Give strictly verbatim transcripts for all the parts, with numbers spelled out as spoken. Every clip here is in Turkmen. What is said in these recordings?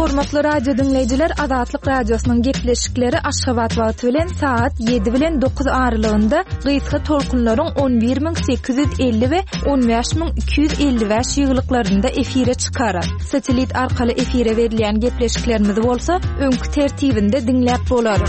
Hormatly radio diňleýjiler, Azatlyk Radiosynyň gepleşikleri Aşgabat wagty bilen saat ýedi bilen dokuz aralygynda gysga tolkunlaryň on bir müň sekiz ýüz elli we on bäş müň iki ýüz elli bäş ýyglyklarynda efire çykar. Satelit arkaly efire berilýän gepleşiklerimizi bolsa öňki tertibinde diňläp bolar.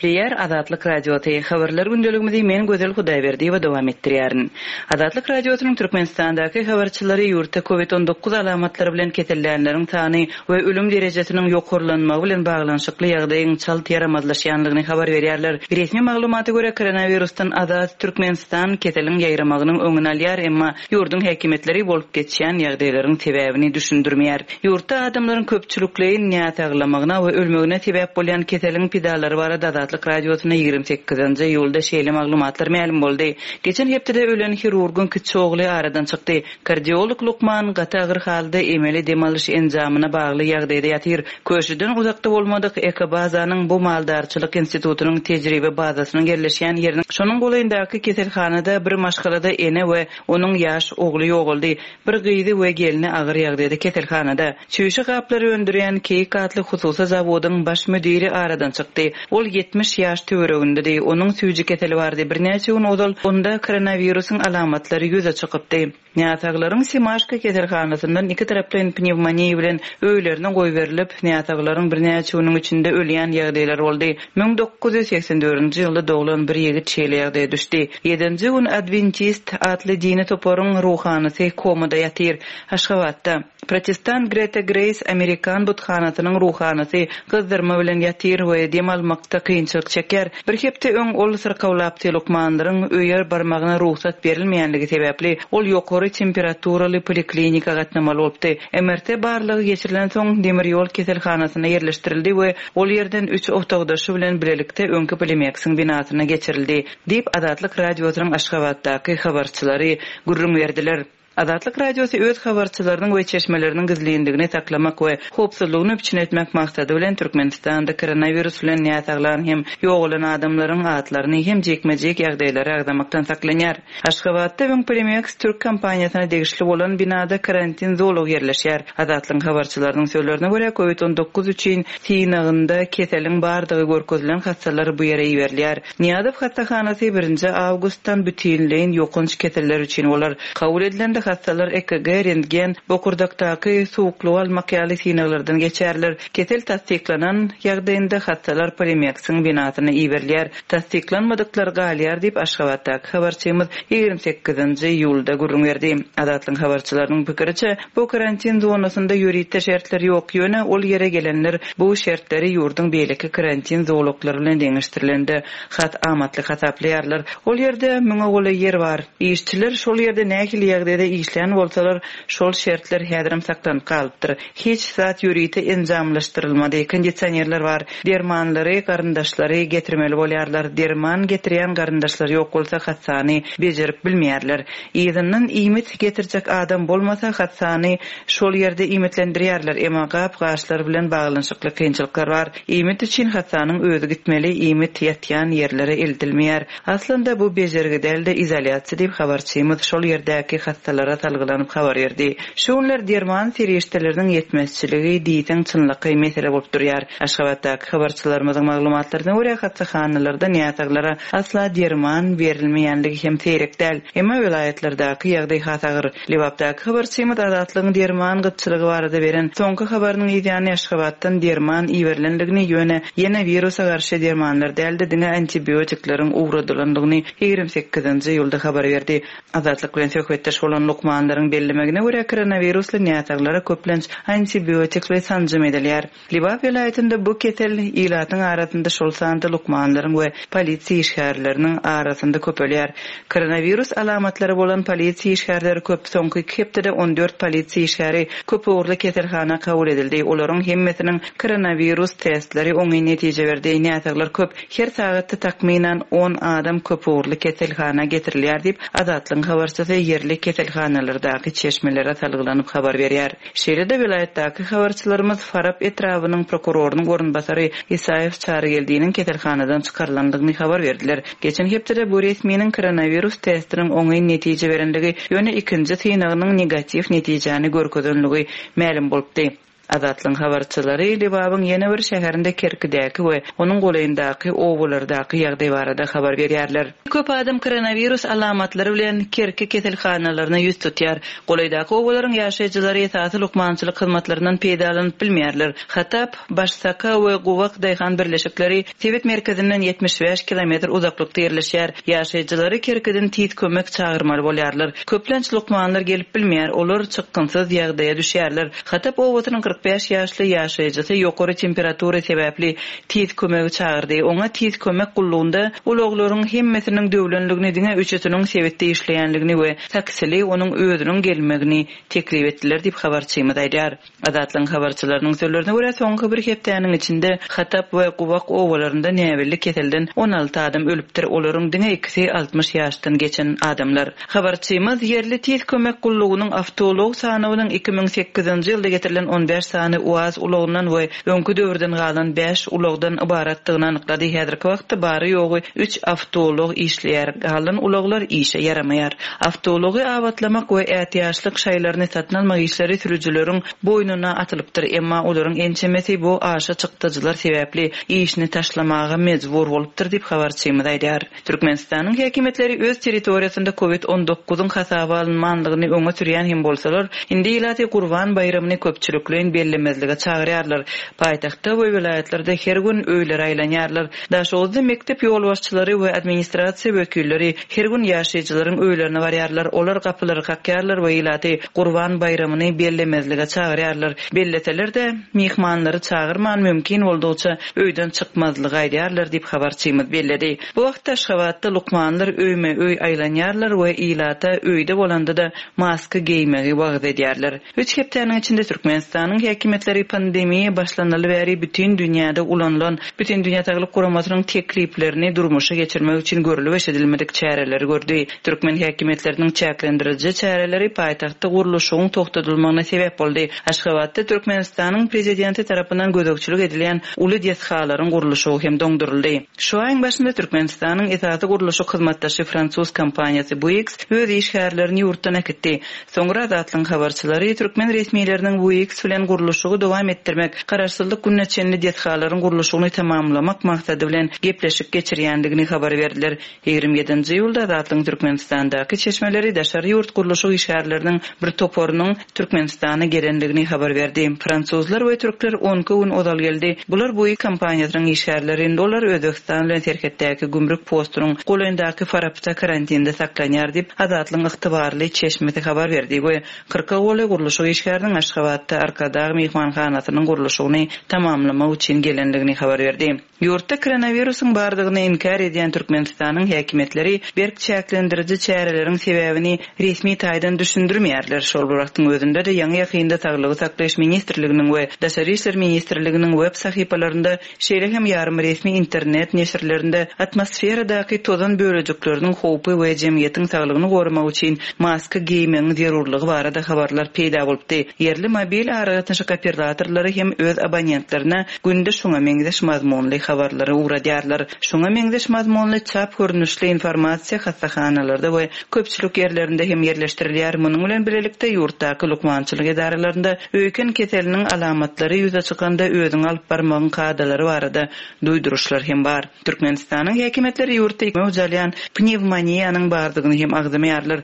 Gepleýär Azatlyk Radiosy. Habarlar gündeligimizi men Gözel Hudaýberdiýewa dowam etdirýärin. Azatlyk Radiosynyň Türkmenistandaky habarçylary ýurtda COVID on dokuz alamatlary bilen kesellänleriň sany we ölüm derejesiniň ýokarlanmagy bilen baglanyşykly ýagdaýyň çalt ýaramazlaşýanlygyny habar berýärler. Resmi maglumata görä koronawirusdan azat Türkmenistan keseliň ýaýramagynyň öňüni alýar, emma ýurduň häkimiýetleri bolup geçýän ýagdaýlaryň sebäbini düşündirmeýär. Ýurtda adamlaryň köpçülikleýin näsaglamagyna we ölmegine sebäp bolýan keseliň pidalary barada Azatlyk Radiosyna ýigrimi sekizinji iýulda şeýle maglumatlar mälim boldy. Geçen hepdede ölen hirurgyň kiçi ogly aradan çykdy. Kardiolog lukman gaty agyr halda emeli dem alyş enjamyna bagly ýagdaýda ýatyr. Köşüden uzakda bolmadyk Ekobazanyň bu maldarçylyk institutynyň tejribe bazasynyň ýerleşýän ýeriniň şonuň golaýyndaky keselhanada bir maşgalada ene we onuň ýaş ogly ýogaldy. Bir gyzy we gelni agyr ýagdaýda keselhanada. Çüýşe gaplary öndürýän Keýik atly hususy zawodyň baş müdiri aradan çykdy. Ol ýetmiş ýaş töweregindedi. Onuň süýji keseli bardy. Birnäçe gün ozal onda koronawirusyň alamatlary ýüze çykypdy. Näsaglaryň Simaşka keselhanasyndan iki taraplaýyn pnewmoniýa bilen öýlerine goýberilip, näsaglaryň birnäçe günüň içinde ölýän ýagdaýlar boldy. Müň dokuz ýüz seksen dördünji ýylda doglan bir ýigit şeýle ýagdaýa düşdi. Ýedinji gün Adventist atly dini toparyň ruhanysy komada ýatyr. Aşgabatda Protestant Greta Grace Amerikan buthanasynyň ruhanysy gyzdyrma bilen ýatyr we dem almakda kynçylyk çeker. Bir hepde öň ol syrkawlapdy lukmanlaryň öýe barmagyna rugsat berilmeýänligi sebäpli ol ýokary temperaturaly poliklinika gatnamaly bolupdy. M R T barlygy geçirilen soň demir ýol keselhanasyna ýerleşdirildi we ol ýerden üç otagdaşy bilen bilelikde öňki Polimeksiň binasyna geçirildi diýip Azatlyk Radiosynyň Aşgabatdaky habarçylary gürrüň berdiler. Azatlyk Radiosy öz habarçylarynyň we çeşmeleriniň gizlinligini saklamak we howpsuzlygyny üpjün etmek maksady bilen Türkmenistanda koronawirus bilen näsaglan hem ýogalan adamlaryň atlaryny hem jekme-jek ýagdaýlary agzamakdan saklanýar. Aşgabatda öň Polimeks Türk kompaniýasyna degişli bolan binada karantin zolagy ýerleşýär. Azatlygyň habarçylarynyň sözlerine görä COVID on dokuz üçin synagynda keseliň bardygy görkezilen hassalar bu ýere iberilýär. Niýazow hassahanasy birinji awgustdan bütinleýin ýokanç keseller üçin bolar. Kabul edilende hassalar E K G, rentgen, bokurdakdaky suwuklygy almak ýaly synaglardan geçerler. Kesel tassyklanan ýagdaýynda hassalar Polimeksiň binasyna iberilýär. Tassyklanmadyklar galýar diýip Aşgabatdaky habarçymyz ýigrimi sekizinji iýulda gürrüň berdi. Azatlygyň habarçylarynyň pikiriçe, bu karantin zonasynda ýörite şertler ýok, ýöne ol ýere gelenler bu şertleri ýurduň beýleki karantin zolaklary bilen deňeşdirilende hat amatly hasaplaýarlar. Ol ýerde müňe golaý ýer bar. Işçiler şol ýerde nähili ýagdaýda işlän bolsalar, şol şertler häzirem saklanyp galypdyr. Hiç zat ýörite enjamlaşdyrylmady. Kondisionerler bar. Dermanlary, garyndaşlary getirmeli bolýarlar. Derman getirýän garyndaşlar ýok bolsa hassany bejerip bilmeýärler. Yzyndan iýmit getirjek adam bolmasa hassany şol ýerde iýmitlendirýärler. Emma gap-gaşlar bilen baglanyşykly kynçylyklar bar. Iýmit üçin hassanyň özi gitmeli, iýmit ýatýan ýerlere eltilmeýär. Aslynda bu bejergi däl-de izolýasiýa diýip habarçymyz şol ýerdäki hassalara salgylanyp habar berdi. Şu günler derman serişdeleriniň ýetmezçiligi diýseň çynlakaý mesele bolup durýar. Aşgabatdaky habarçylarymyzyň maglumatlaryna görä hassahanalarda näsaglara asla derman berilmeýänligi hem seýrek däl. Emma welaýatlardaky ýagdaý has agyr. Lebapdaky habarçymyz Azatlygyň derman gytçylygy barada beren soňky habarynyň ýany Aşgabatdan derman iberilenligini ýöne ýene wirusa garşy dermanlar däl-de diňe antibiotikleriň ugradylandygyny ýigrimi sekizinji iýulda habar berdi. Azatlyk bilen söhbetdeş bolan lukmanlaryň bellemegine görä koronawirusly näsaglara köplenç antibiotikli sanjym edilýär. Lebap welaýatynda bu kesel ilatyň arasynda şol sanda lukmanlaryň we polisiýa işgärleriniň arasynda köpelýär. Koronawirus alamatlary bolan polisiýa işgärleri köp soňky iki hepdede on dört polisiýa işgäri köp ugurly keselhana kabul edildi. Olaryň hemmesiniň koronawirus testleri oňyn netije berdi. Näsaglar köp, her sagatda takmynan on adam köp ugurly keselhana getirilýär diýip Azatlygyň habarçysy ýerli keselhana keselhanalardaky çeşmelere salgylanyp habar berýär. Şeýle-de welaýatdaky habarçylarymyz Farap etrabynyň prokurorynyň orunbasary Isaýew Çarygeldiniň keselhanadan çykarylandygyny habar berdiler. Geçen hepdede bu resminiň koronawirus testiniň oňyn netije berenligi, ýöne ikinji synagynyň negatiw netijäni görkezenligi mälim bolupdy. Azatlygyň habarçylary Lebabyň ýene bir şäherinde Kerkidäki we onuň golaýyndaky obalardaky ýagdaý barada habar berýärler. Köp adam koronawirus alamatlary bilen Kerki keselhanalaryna ýüz tutýar. Golaýdaky obalaryň ýaşaýjylary esasy lukmançylyk hyzmatlaryndan peýdalanyp bilmeýärler. Hatap, Başsaka we Gowak daýhan birleşikleri sebit merkezinden ýetmiş bäş kilometr uzaklykda ýerleşýär. Ýaşaýjylary Kerkiden tiz kömek çagyrmaly bolýarlar. Köplenç lukmanlar gelip bilmeýär, olar çykgynsyz ýagdaýa düşýärler. Hatap obasynyň kyrk bäş ýaşly ýaşaýjysy ýokary temperatura sebäpli tiz kömegi çagyrdy. Oňa tiz kömek gullugynda ulaglaryň hemmesiniň döwlenligini, diňe üçüsiniň sebitde işleýänligini we taksili onuň özüniň gelmegini teklip etdiler diýip habarçymyz aýdýar. Azatlygyň habarçylarynyň sözlerine görä, soňky bir hepdäniň içinde Hatap we Gowak obalarynda näbelli keselden on alty adam ölüpdir. Olaryň diňe ikisi altmyş ýaşdan geçen adamlar. Habarçymyz ýerli tiz kömek gullugynyň awtoulag sanawynyň iki müň sekizinji ýylda getirilen on bäş sany UAZ ulagyndan we öňki döwürden galan bäş ulagdan ybaratdygyny anyklady. Häzirki wagtda bary ýogy üç awtoulag işleýär. Galan ulaglar işe ýaramaýar. Awtoulagy abatlamak we ätiýaçlyk şaýlaryny satyn almak işleri sürüjileriň boýnuna atylypdyr. Emma olaryň ençemesi bu aşa çykdajylar sebäpli işini taşlamaga mejbur bolupdyr diýip habarçymyz aýdýar. Türkmenistanyň häkimiýetleri öz territoriýasynda COVID on dokuzyň hasaba alynmanlygyny öňe sürýän hem bolsalar, indi ilaty Gurban baýramyny köpçülikleýin bellemezlige çagyrýarlar. Paýtagtda we welaýatlarda her gün öýlere aýlanýarlar. Daşoguzda mekdep ýolbaşçylary we administrasiýa wekilleri her gün ýaşaýjylaryň öýlerine barýarlar. Olar gapylary kakýarlar we ilaty Gurban baýramyny bellemezlige çagyrýarlar. Belleseler de mehmanlary çagyrman mümkin boldugyça öýden çykmazlygy aýdýarlar diýip habarçymyz belledi. Bu wagtda Aşgabatda lukmanlar öýme öý aýlanýarlar we ilata öýde bolanda da maska geýmegi wagyz edýärler. Üç hepdäniň içinde Türkmenistanyň häkimiýetleri pandemiýa başlanaly bäri bütün dünýäde ulanylan Bütün Dünýä Saglyk Guramasynyň tekliplerini durmuşa geçirmek üçin görülip eşidilmedik çäreleri gördi. Türkmen häkimiýetleriniň çäklendiriji çäreleri paýtagtda gurluşygyň togtadylmagyna sebäp boldy. Aşgabatda Türkmenistanyň prezidenti tarapyndan gözegçilik edilýän uly desgalaryň gurluşygy hem doňduryldy. Şu aýyň başynda Türkmenistanyň esasy gurluşyk hyzmatdaşy fransuz kompaniýasy Bouygues öz işgärlerini ýurtdan äkitdi. Soňra Azatlygyň habarçylary türkmen resmileriniň Bouygues bilen gurluşygy dowam etdirmek, garaşsyzlyk gününe çenli desgalaryň gurluşygyny tamamlamak maksady bilen gepleşik geçirýändigini habar berdiler. Ýigrimi ýedinji ýylda Azatlygyň Türkmenistandaky çeşmeleri daşary ýurt gurluşyk işgärleriniň bir toparynyň Türkmenistana gelendigini habar berdi. Fransuzlar we türkler on iki gün ozal geldi. Bular Bouygues kompaniýasynyň işgärleri, indi olar Özbegistan bilen serhetdäki gümrük postunyň golaýyndaky Farapda karantinde saklanýar diýip Azatlygyň ygtybarly çeşmesi habar berdi we kyrka golaý gurluşyk işgäriniň Aşgabatda Arkadag mehmanhanasynyň gurluşygyny tamamlamak üçin gelendigini habar berdi. Ýurtda koronawirusyň bardygyny inkär edýän Türkmenistanyň häkimiýetleri berk çäklendiriji çäreleriň sebäbini resmi taýdan düşündirmeýärler. Şol bir wagtyň özünde de ýaňy ýakynda Saglygy saklaýyş ministrliginiň we Daşary işler ministrliginiň web sahypalarynda, şeýle hem ýarym resmi internet neşirlerinde atmosferadaky tozan bölejikleriniň howpy we jemgyýetiň saglygyny goramak üçin maska geýmegiň zerurlygy barada habarlar peýda bolupdy. Ýerli mobil aragatnaşyk operatorlary hem öz abonentlerine günde şoňa meňzeş mazmunly habarlary ugradýarlar. Şoňa meňzeş mazmunly çap görnüşli informasiýa hassahanalarda we köpçülik ýerlerinde hem ýerleşdirilýär. Munuň bilen birlikde ýurtdaky lukmançylyk edaralarynda öýken keseliniň alamatlary ýüze çykanda özüňi alyp barmagyň kadalary barada duýduryşlar hem bar. Türkmenistanyň häkimiýetleri ýurtda möwç alýan pnewmoniýanyň bardygyny hem agzamaýarlar.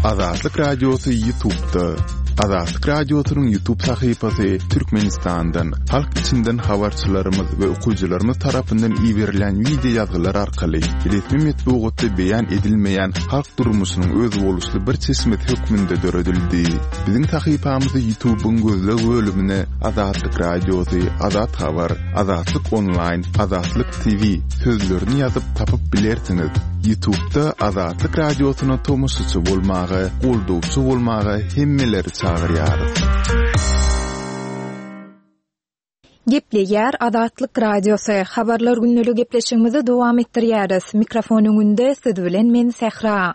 Azatlyk Radiosy YouTube'da. Azatlyk Radiosynyň YouTube sahypasy Türkmenistandan, halk içinden habarçylarymyz we okyjylarymyz tarapyndan iberilen video ýazgylar arkaly resmi metbugatda beýan edilmeýän halk durmuşynyň özboluşly bir çeşmesi hökmünde döredildi. Biziň sahypamyzy YouTube'yň gözleg bölümine Azatlyk Radiosy, Azat Habar, Azatlyk Online, Azatlyk T V sözlerini ýazyp tapyp bilersiňiz. YouTube'da Azatlyk Radiosyna tomaşaçy bolmaga, goldawçy bolmaga hemmeleri çagyrýarys. Gepleýär Azatlyk Radiosy. Habarlar gündelik gepleşigimizi dowam etdirýäris. Mikrofon öňünde siz bilen men Sähra.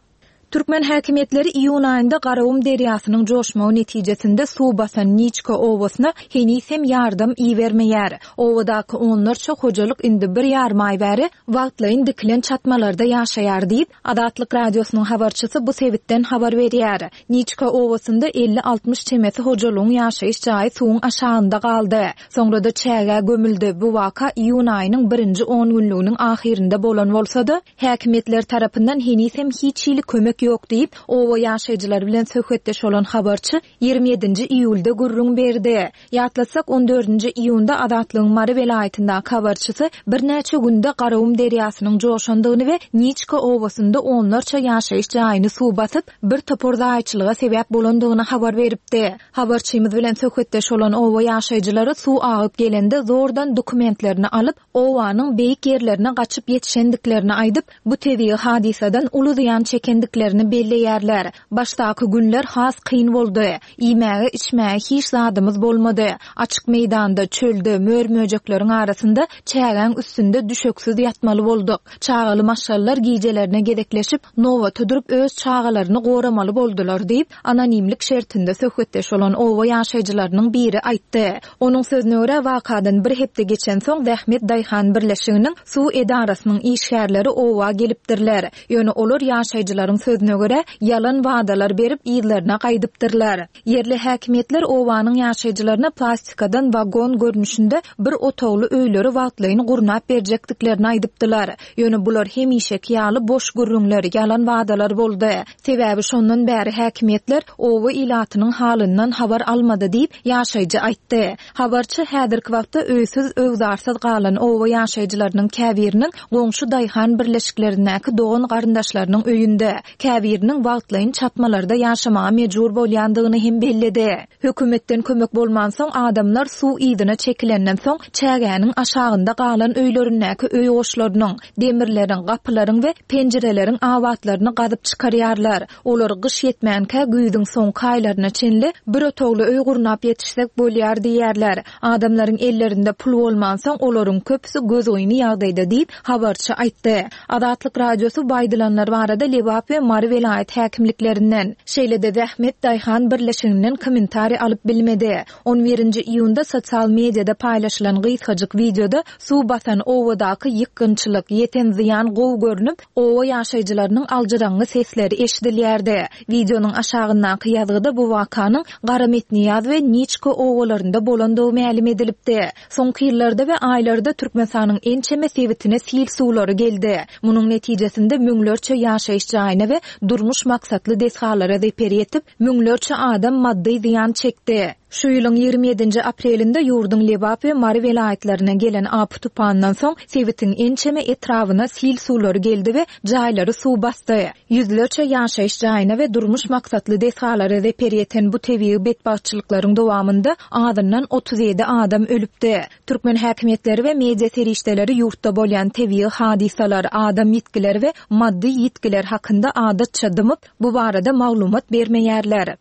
Türkmen häkimiýetleri iýun aýynda Garagum derýasynyň joşmagy netijesinde suw basan Niçka obasyna heniz hem ýardam ibermeýär. Obadaky onlarça hojalyk indi bir ýarym aý bäri wagtlaýyn dikilen çatmalarda ýaşaýar diýip, Azatlyk Radiosynyň habarçysy bu sebitden habar berýär. Niçka obasynda elli-altmyş çemesi hojalygyň ýaşaýyş jaýy suwuň aşagynda galdy. Soňra-da çägä gömüldi. Bu waka iýun aýynyň birinji on günlüginiň ahyrynda bolan bolsa-da, häkimiýetler tarapyndan heniz hem hiç hili kömek ýok diýip, oba ýaşaýjylary bilen söhbetdeş bolan habarçy ýigrimi ýedinji iýulda gürrüň berdi. Ýatlatsak, on dördünji iýunda Azatlygyň Mary welaýatyndaky habarçysy birnäçe günde Garagum derýasynyň joşandygyny we Niçka obasynda onlarça ýaşaýyş jaýyny suw basyp, bir topar zaýaçylyga sebäp bolandygyny habar beripdi. Habarçymyz bilen söhbetdeş bolan oba ýaşaýjylary suw agyp gelende zordan dokumentlerini alyp, obanyň beýik ýerlerine gaçyp ýetişendiklerini aýdyp, bu tebigy hadysadan uly zyýan çekendiklerini belleýärler. Başdaky günler has kyn boldy. Iýmäge, içmäge hiç zadymyz bolmady. Açyk meýdanda, çölde, mör-möjekleriň arasynda çägäň üstünde düşeksiz ýatmaly bolduk. Çagaly maşgalalar gijelerine gezekleşip, nobata durup öz çagalaryny goramaly boldular diýip, anonimlik şertinde söhbetdeş bolan oba ýaşaýjylarynyň biri aýtdy. Onuň sözüne görä, wakadan bir hepde geçen soň Zähmet Daýhan birleşiginiň suw edarasynyň işgärleri oba gelipdirler. Ýöne olar ýaşaýjylaryň sözüne görä, ýalan wadalar berip ýerlerine gaýdypdyrlar. Ýerli häkimiýetler obanyň ýaşaýjylaryna plastikadan wagon görnüşinde bir otagly öýleri wagtlaýyn gurnap berjekdiklerini aýdypdylar. Ýöne bular hemişeki ýaly boş gürrüňler, ýalan wadalar boldy. Sebäbi şondan bäri häkimiýetler oba ilatynyň halyndan habar almady diýip ýaşaýjy aýtdy. Habarçy häzirki wagtda öýsüz, öwzarsyz galan oba ýaşaýjylarynyň käbiriniň goňşy daýhan birleşiklerindäki dogan garyndaşlarynyň öýünde, käbiriniň wagtlaýyn çatmalarda ýaşamaga mejbur bolýandygyny hem belledi. Hökümetden kömek bolmansoň adamlar suw yzyna çekilenden soň çägäniň aşagynda galan öýlerindäki öý goşlarynyň, demirleriň, gapylaryň we penjireleriň abatlaryny gazyp çykarýarlar. Olar gyş ýetmänkä güýzüň soňky aýlaryna çenli bir otagly öý gurnap ýetişsek bolýar diýýärler. Adamlaryň ellerinde pul bolmansoň olaryň köpüsi gözgyny ýagdaýda diýip habarçy aýtdy. Azatlyk Radiosy bu aýdylanlar barada Lebap we Mary welaýat häkimliklerinden, şeýle-de Zähmet Daýhan birleşiginden kommentariý alyp bilmedi. On birinji iýunda sosial mediada paýlaşylan gysgajyk wideoda suw basan obadaky ýykgynçylyk, ýeten zyýan gowy görünip, oba ýaşaýjylarynyň aljyraňňy sesleri eşidilýärdi. Wideonyň aşagyndaky ýazgyda bu wakanyň Garametniýaz we Niçka obalarynda bolandygy mälim edilipdi. Soňky ýyllarda we aýlarda Türkmenistanyň ençeme sebitine sil suwlary geldi. Munuň netijesinde müňlerçe ýaşaýyş jaýyna we durmuş maksatly desgalara zeper ýetip, müňlerçe adam maddy zyýan çekdi. Şu ýylyň ýigrimi ýedinji aprelinde ýurduň Lebap we Mary welaýatlaryna gelen apy tupandan soň sebitiň ençeme etrabyna sil suwlary geldi we jaýlary suw basdy. Ýüzlerçe ýaşaýyş jaýyna we durmuş maksatly desgalara zeper ýeten bu tebigy betbagtçylyklaryň dowamynda azyndan otuz ýedi adam ölüpdi. Türkmen häkimiýetleri we media serişdeleri ýurtda bolýan tebigy hadysalar, adam ýitgileri we maddy ýitgiler hakynda adatça dymyp, bu barada maglumat bermeýärler.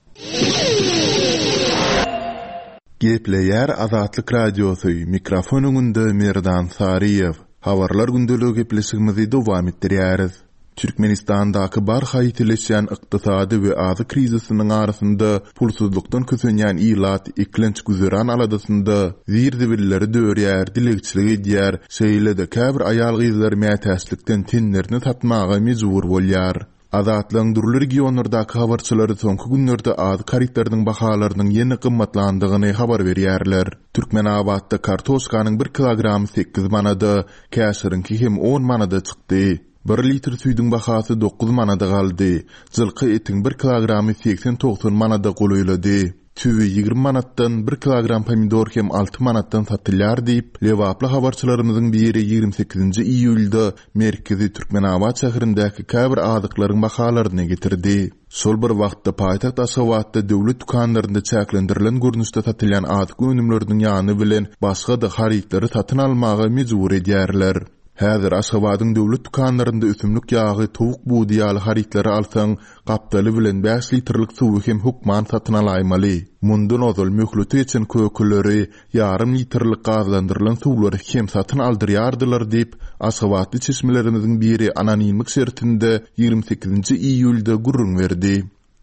Gepleýär Azatlyk Radiosy, mikrofon öňünde Merdan Saryýew. Habarlar gündeligi gepleşigimizi dowam etdirýäris. Türkmenistandaky barha ýitileşýän ykdysady we azyk krizisiniň arasynda pulsuzlykdan kösenýän ilat eklenç güzeran aladasynda zir-zibilleri dörýär, dilegçilik edýär, şeýle-de käbir aýal-gyzlar mätäçlikden tenlerini satmaga mejbur bolýar. Azatlygyň dürli regionlardaky habarçylary soňky günlerde azyk harytlarynyň bahalarynyň ýene gymmatlandygyny habar berýärler. Türkmenabatda kartoşkanyň bir kilogramy sekiz manada, käşiriňki hem on manada çykdy. Bir litr süýdüň bahasy dokuz manada galdy. Jylky etiň bir kilogramy seksen togsan manada golaýlady. Tüwi ýigrimi manatdan, bir kilogram pomidor hem alty manatdan satylýar diýip, Lebaply habarçylarymyzyň biri ýigrimi sekizinji iýulda merkezi Türkmenabat şäherindäki käbir azyklaryň bahalaryny getirdi. Şol bir wagtda paýtagt Aşgabatda döwlet dükanlarynda çäklendirilen görnüşde satylýan azyk önümleriniň ýany bilen başga-da harytlary satyn almaga mejbur edýärler. Häzir Aşgabadyň döwlet dükanlarynda ösümlik ýagy, towuk budy ýaly harytlary alsaň, gapdaly bilen bäş litrlik suwy hem hökman satyn alaýmaly. Mundan ozal möhleti geçen kökeleri, ýarym litrlik gazlandyrylan suwlary hem satyn aldyrýardylar diýip, aşgabatly çeşmelerimiziň biri anonimlik şertinde ýigrimi sekizinji iýulda gürrüň berdi.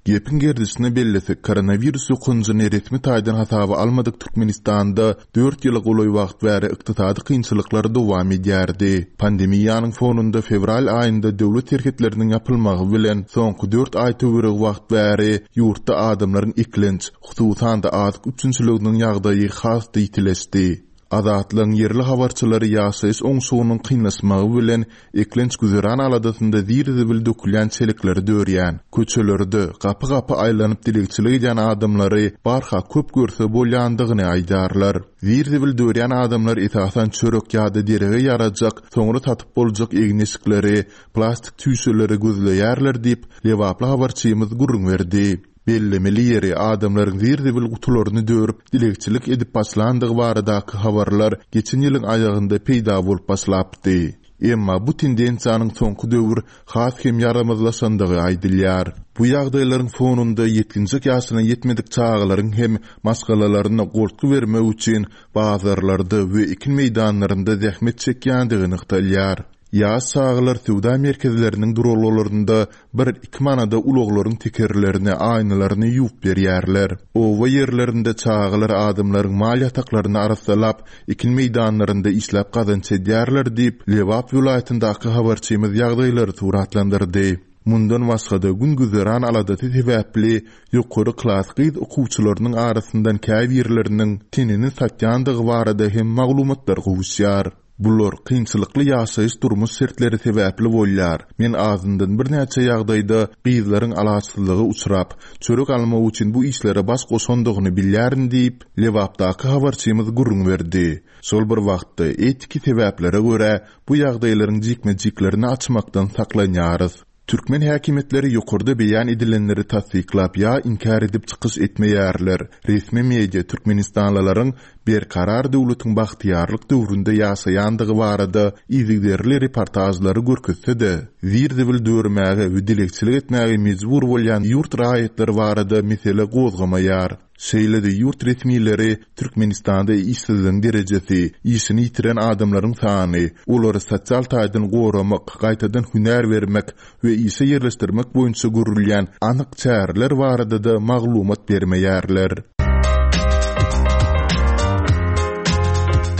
Gepiň gerdişine bellesek, koronawirus ýokanjyny resmi taýdan hasaba almadyk Türkmenistanda dört ýyla golaý wagt bäri ykdysady kynçylyklar dowam edýärdi. Pandemiýanyň fonunda fewral aýynda döwlet serhetleriniň ýapylmagy bilen soňky dört aý töweregi wagt bäri ýurtda adamlaryň eklenç, hususan-da azyk üpjünçiliginiň ýagdaýy has-da ýitileşdi. Azatlygyň ýerli habarçylary ýaşaýyş oňşugynyň kynlaşmagy bilen eklenç güzeran aladasynda zir-zibil dökülýän çelekleri dörýän, köçelerde gapy-gapy aýlanyp dilegçilik edýän adamlary barha köp görse bolýandygyny aýdýarlar. Zir-zibil dörýän adamlar esasan çörek ýa-da derege ýarajak, soňra satyp boljak egin-eşikleri, plastik çüýşeleri gözleýärler diýip, lebaply habarçymyz gürrüň berdi. Bellemeli ýeri, adamlaryň zir-zibil gutularyny dörüp, dilegçilik edip başlandygy baradaky habarlar geçen ýylyň aýagynda peýda bolup başlapdy. Emma bu tendensiýanyň soňky döwür has hem ýaramazlaşandygy aýdylýar. Bu ýagdaýlaryň fonunda ýetginjek ýaşyna ýetmedik çagalaryň hem maşgalalaryna goltgy bermek üçin bazarlarda we ekin meýdanlarynda zähmet çekýändigi nygtalýar. Ýaş çagalar söwda merkezleriniň duralgalarynda bir-iki manada ulaglaryň tekerlerini, aýnalaryny ýuwup berýärler. Oba ýerlerinde çagalar adamlaryň mal ýataklaryny arassalap, ekin meýdanlarynda işläp gazanç edýärler diýip, Lebap welaýatyndaky habarçymyz ýagdaýlary suratlandyrdy. Mundan başga-da gün-güzeran aladasy sebäpli ýokary klas gyz okuwçylarynyň arasyndan käbirleriniň tenini satýandygy barada hem maglumatlar gowuşýar. Bular kynçylykly ýaşaýyş durmuş şertleri sebäpli bolýar. Men azyndan birnäçe ýagdaýda gyzlaryň alaçsyzlyga uçrap, çörek almak üçin bu işlere baş goşandygyny bilýärin diýip, Lebapdaky habarçymyz gürrüň berdi. Şol bir wagtda etiki sebäplere görä bu ýagdaýlaryň jikme-jiklerini açmakdan saklanýarys. Türkmen häkimiýetleri ýokarda beýan edilenleri tassyklap ýa inkär edip çykyş etmeýärler. Resmi media türkmenistanlylaryň berkarar döwletiň bagtyýarlyk döwründe ýaşaýandygy barada yzygiderli reportažlary görkezse-de, zir-zibil dörmäge we dilegçilik etmäge mejbur bolýan ýurt raýatlary barada mesele gozgamaýar. Şeýle-de ýurt resmileri Türkmenistanda işsizligiň derejesi, işini ýitiren adamlaryň sany, olary sosial taýdan goramak, gaýtadan hünär bermek we işe ýerleşdirmek boýunça görülýän anyk çäreler barada-da maglumat bermeýärler.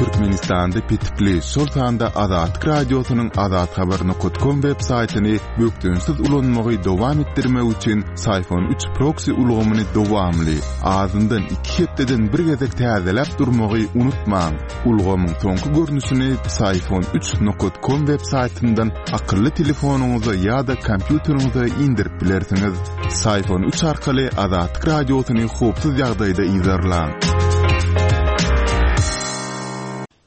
Türkmenistanda petikli, şol sanda Azatlyk Radiosynyň azathabar nokta com web saýtyny bökdençsiz ulanmagy dowam etdirmek üçin Syfon üç proksi ulgamyny dowamly, azyndan iki hepdeden bir gezek täzeläp durmagy unutmaň. Ulgamyň soňky görnüşini Syfon üç nokta com web saýtyndan akylly telefonyňyza ýa-da kompýuteriňize indirip bilersiňiz. Syfon üç arkaly Azatlyk Radiosyny howpsuz ýagdaýda yzarlaň.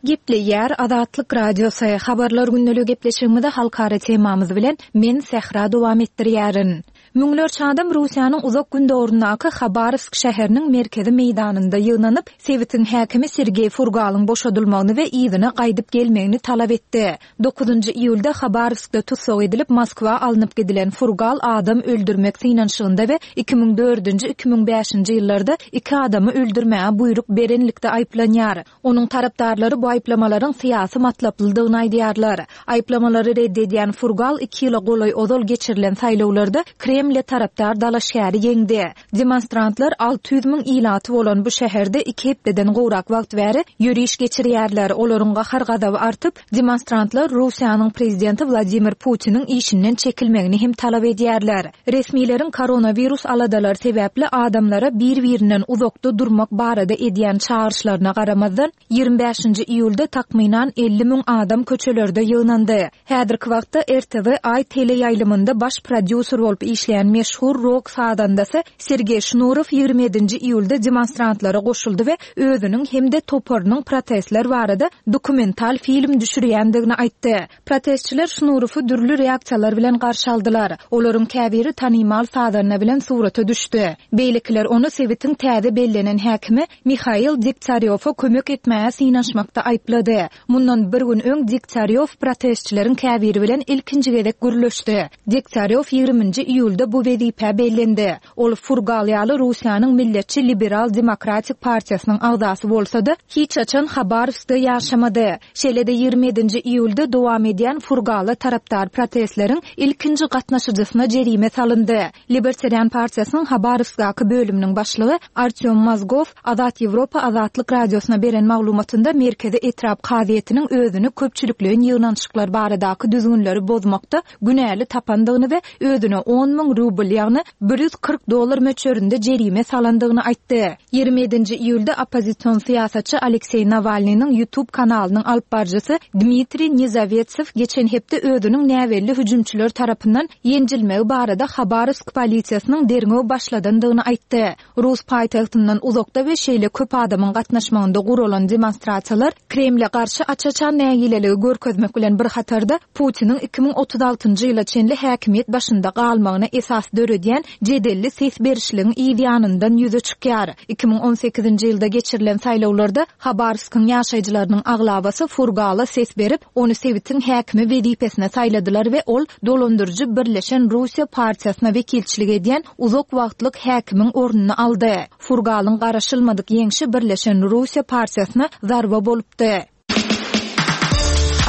Gepleýär Azatlyk Radiosy. Habarlar gündelik gepleşigimizi halkara temamyz bilen men Sähra dowam etdirýärin. Müňlerçe adam Russiýanyň uzak gündoguryndaky Habarowsk şäheriniň merkezi meýdanynda ýygnanyp, sebitiň häkimi Sergeý Furgalyň boşadylmagyny we yzyna gaýdyp gelmegini talap etdi. Dokuzynjy iýulda Habarowskda tussag edilip Moskwa alnyp gidilen Furgal adam öldürmek synanyşygynda we iki müň dördünji, iki müň bäşinji ýyllarda iki adamy öldürmäge buýruk berenlikde aýyplanýar. Onuň tarapdarlary bu aýyplamalaryň syýasy matlaplydygyny aýdýarlar. Aýyplamalary redd edýän Furgal iki ýyla golaý ozal geçirilen saýlawlarda Kremle tarapdar dalaşgäri ýeňdi. Demonstrantlar alty ýüz müň ilaty bolan bu şäherde iki hepdeden gowrak wagt bäri ýöriş geçirýärler. Olaryň gahar gazaby artyp, demonstrantlar Russiýanyň prezidenti Wladimir Putiniň işinden çekilmegini hem talap edýärler. Resmileriň koronawirus aladalary sebäpli adamlara bir-birinden uzakda durmak barada edýän çagyryşlaryna garamazdan, ýigrimi bäşinji iýulda takmynan elli müň adam köçelerde ýygnandy. Häzirki wagtda R T V I teleýaýlymynda baş prodýuser bolup işleýän işleýän meşhur rok sazandasy Sergeý Şnurow ýigrimi ýedinji iýulda demonstrantlara goşuldy we özüniň hem-de toparynyň protestler barada dokumental film düşürýändigini aýtdy. Protestçiler Şnurowy dürli reaksiýalar bilen garşy aldylar. Olaryň käbiri tanymal sazanda bilen surata düşdi. Beýlekiler ony sebitiň täze bellenen häkimi Mihail Degtýarýowa kömek etmäge synanyşmakda aýyplady. Mundan bir gün öň Degtýarýow protestçileriň käbiri bilen ilkinji gezek gürleşdi. Degtýarýow ýigriminji iýulda bu wezipä bellendi. Ol Furgal ýaly Russiýanyň Milletçi Liberal Demokratik partiýasynyň agzasy bolsa-da, hiç haçan Habarowskda ýaşamady. Şeýle-de ýigrimi ýedinji iýulda dowam edýän Furgala tarapdar protestleriň ilkinji gatnaşyjysyna jerime salyndy. Libertarian partiýasynyň Habarowskdaky bölüminiň başlygy Artyom Mozgow Azat Ýewropa Azatlyk Radiosyna beren maglumatynda Merkezi etrap kazyýetiniň özüni köpçülikleýin ýygnanyşyklar baradaky düzgünleri bozmakda günäli tapandygyny we özüne on müň rubl, ýagny bir ýüz kyrk dollar möçberinde jerime salandygyny aýtdy. Ýigrimi ýedinji iýulda oppozision syýasatçy Alekseý Nawalnynyň YouTube kanalynyň alyp baryjysy Dmitriý Nizawetsew geçen hepde özüniň näbelli hüjümçiler tarapyndan ýenjilmegi barada Habarowsk polisiýasynyň derňew başladandygyny aýtdy. Rus paýtagtyndan uzakda we şeýle köp adamyň gatnaşmagynda guralan demonstrasiýalar Kremle garşy aç-açan nägileligi görkezmek bilen bir hatarda Putiniň iki müň otuz altynjy ýyla çenli häkimiýet başynda galmagyna esas döredýän jedelli ses berişligiň yz ýanyndan ýüze çykýar. Iki müň on sekizinji ýylda geçirilen saýlawlarda Habarowskyň ýaşaýjylarynyň aglabasy Furgala ses berip, ony sebitiň häkimi wezipesine saýladylar we ol dolandyryjy Birleşen Russiýa partiýasyna wekilçilik edýän uzak wagtlyk häkimiň ornuny aldy. Furgalyň garaşylmadyk ýeňşi Birleşen Russiýa partiýasyna zarba bolupdy.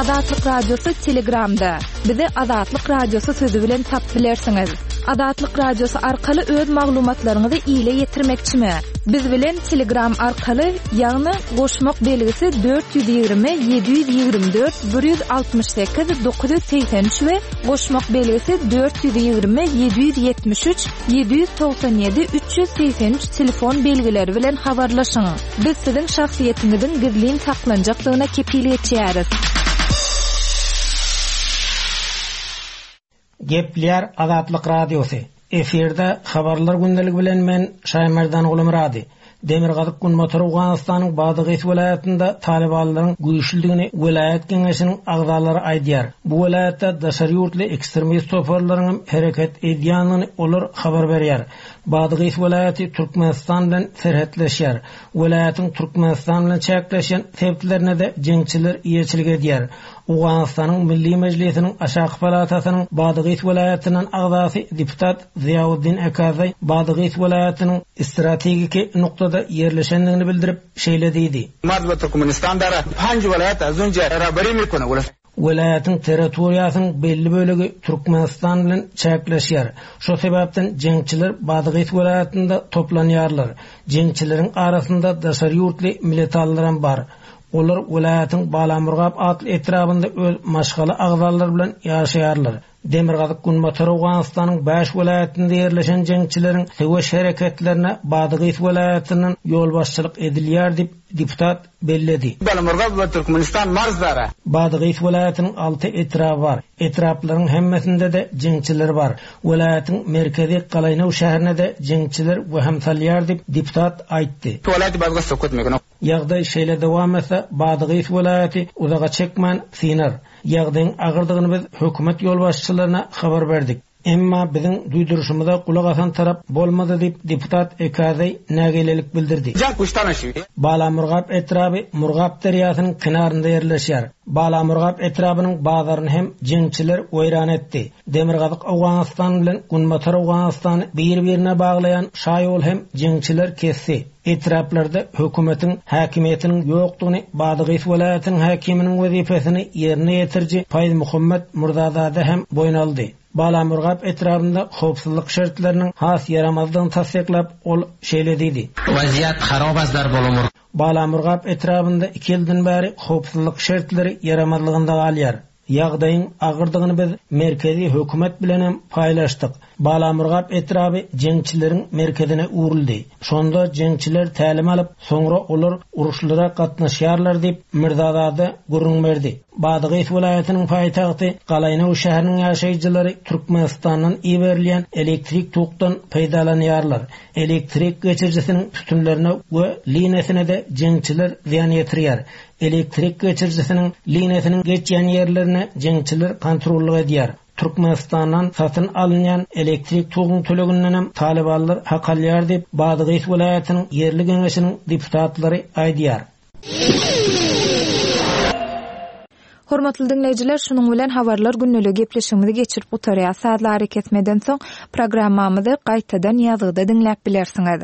Azatlyk Radiosy Telegramda. Bizi Azatlyk Radiosy sözi bilen tapyp bilersiňiz. Azatlyk Radiosy arkaly öz maglumatlaryňyzy ile ýetirmekçimi? Biz bilen Telegram arkaly, ýagny goşmak belgisi dört ýüz ýigrimi, ýedi ýüz ýigrimi dört, bir ýüz altmyş sekiz, dokuz ýüz segsen üç we goşmak belgisi dört ýüz ýigrimi, ýedi ýüz ýetmiş üç, ýedi ýüz togsan ýedi, üç ýüz segsen üç telefon belgileri bilen habarlaşyň. Biz siziň şahsyýetiňiziň gizlin saklanjakdygyna kepil geçýäris. Gepler Azatlyk Radiosy. Efirde habarlar gündeligi bilen men Şaýmerdan Gulumyrady. Demirgazyk Günbatar Owganystanyň Badagys welaýatynda talybanlaryň güýçlüdigini welaýat geňeşiniň agzalary aýdýar. Bu welaýatda daşary ýurtly ekstremist toparlaryň hereket edýändigini olar habar berýär. Badagys welaýaty Türkmenistan bilen serhetleşýär. Welaýatyň Türkmenistan bilen çäkleşen sebitlerine de jeňçiler eýeçilik edýär. Owganystanyň Milli Mejlisiniň Aşaky Palatasynyň Badagys welaýatynyň agzasy deputat Ziýauddin Akazaý Badagys welaýatynyň strategik noktada ýerleşendigini bildirip şeýle diýdi. Marz Türkmenistan dara panj welaýat azunja rabari mikona wala. Welaýatyň territoriýasynyň belli bölegi Türkmenistan bilen çäkleşýär. Şo sebäpden jeňçiler Badagys welaýatynda toplanýarlar. Jeňçileriň arasynda daşary ýurtly militallaram bar. Olar welaýatyň Balamurgap atly etrabynda öz maşgala agzalary bilen ýaşaýarlar. Demirgazyk Günbatar Owganystanyň bäş welaýatynda ýerleşen jeňçileriň söweş hereketlerine Badagys welaýatyndan ýolbaşçylyk edilýär diýip deputat belledi. Balamurgap we Türkmenistan marzdara. Badagys welaýatynyň alty etraby bar. Etraplaryň hemmesinde de jeňçiler bar. Welaýatyň merkezi Galaýnow şäherine de jeňçiler wehim salýar diýip deputat aýtdy. Welaýat Badagys sokut mekano. Ýagdaý şeýle dowam etse Badagys welaýaty uzaga çekmän synar. Ýagdaýyň agyrdygyny biz hökümet ýolbaşçylaryna habar berdik. Emma biziň duýduryşymyza gulak asan tarap bolmady diýip deputat Ekazeý nägilelik bildirdi. Balamurgap etraby Murgap derýasynyň kenarynda ýerleşýär. Balamurgap etrabynyň bazaryny hem jeňçiler weýran etdi. Demirgazyk Owganystan bilen Günbatar Owganystany bir-birine baglaýan şaýol hem jeňçiler kesdi. Etraplarda hökümetiň häkimiýetiniň ýokdugyny Badagys welaýatynyň häkiminiň wezipesini ýerine ýetiriji Paýz Muhammed Murzazade hem boýun aldy. Balamurgap etrabynda howpsuzlyk şertleriniň has ýaramazdygyny tassyklap ol şeýle diýdi. Waziýat harobazlar bolumur. Balamurgap etrabynda iki ýyldan bäri howpsuzlyk şertleri ýaramazlygynda galýar. Ýagdaýyň agyrdygyny biz merkezi hökümet bilenem paýlaşdyk. Balamurgap etraby jeňçileriň merkezine öwrüldi. Şonda jeňçiler tälim alyp, soňra olar uruşlara gatnaşýarlar diýip, Mirzazade gürrüň berdi. Badagys welaýatynyň paýtagty Galaýnow şäheriniň ýaşaýjylary Türkmenistandan iberilýän elektrik tokdan peýdalanýarlar. Elektrik geçirijisiniň sütünlerine we liniýasyna-da jeňçiler zyýan ýetirýär. Elektrik geçirijisiniň liniýasynyň geçýän ýerlerine jeňçiler kontrollyk edýär. Türkmenistandan satyn alynýan elektrik toguň tölegindenem Talibanlar hak alýar diýip, Badagys welaýatynyň ýerli geňeşiniň deputatlary aýdýar. Hormatly diňleýjiler, şunuň bilen habarlar günlügi gepleşigimizi geçirip gutarýar. Sazlary kesmeden soň programmamyzy gaýtadan ýazgyda diňläp bilersiňiz.